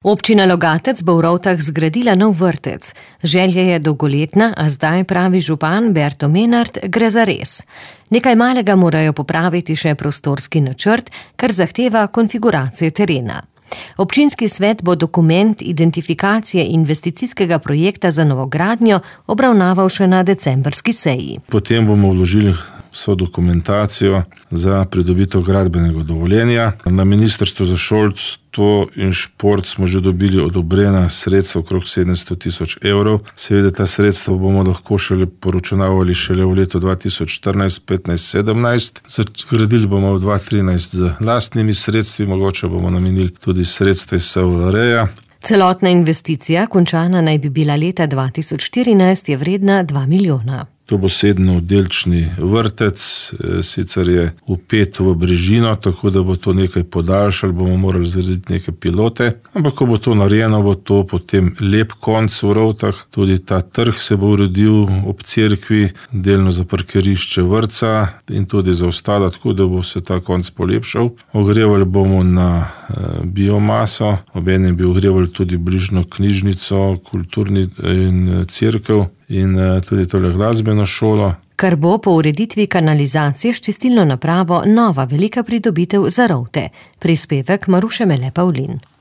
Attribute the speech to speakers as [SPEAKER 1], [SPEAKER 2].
[SPEAKER 1] Občina Logatec bo v Rovtah zgradila nov vrtec. Želja je dolgoletna, a zdaj, pravi župan Berto Menart, gre za res. Nekaj malega morajo popraviti še prostorski načrt, kar zahteva konfiguracijo terena. Občinski svet bo dokument identifikacije investicijskega projekta za novogradnjo obravnaval še na decembrski seji.
[SPEAKER 2] Potem bomo vložili vso dokumentacijo za pridobitev gradbenega dovoljenja. Na Ministrstvu za šolstvo in šport smo že dobili odobrena sredstva okrog 700 000 evrov. Seveda ta sredstva bomo lahko poročunavali šele v letu 2014, 15, 17. Zgradili bomo v 2013 z lastnimi sredstvi, mogoče bomo namenili tudi sredstva iz SVR-ja.
[SPEAKER 1] Celotna investicija, končana naj bi bila leta 2014, je vredna 2 milijona.
[SPEAKER 2] To bo 7-oddelčni vrtec, sicer je vpet v brežino, tako da bo to nekaj podaljšali, bomo morali zgraditi neke pilote, ampak ko bo to narejeno, bo to potem lep konc v Rovtah. Tudi ta trg se bo uredil ob cerkvi, delno za parkirišče vrtca in tudi za ostalo, tako da bo se ta konc polepšal. Ogrevali bomo na biomaso, obenem bi ogrevali tudi bližnjo knjižnico, kulturni in cerkev in tudi tole glasbeno šolo.
[SPEAKER 1] Kar bo po ureditvi kanalizacije s čistilno napravo nova velika pridobitev za Rovte. Prispevek Maruše Mele Pavlin.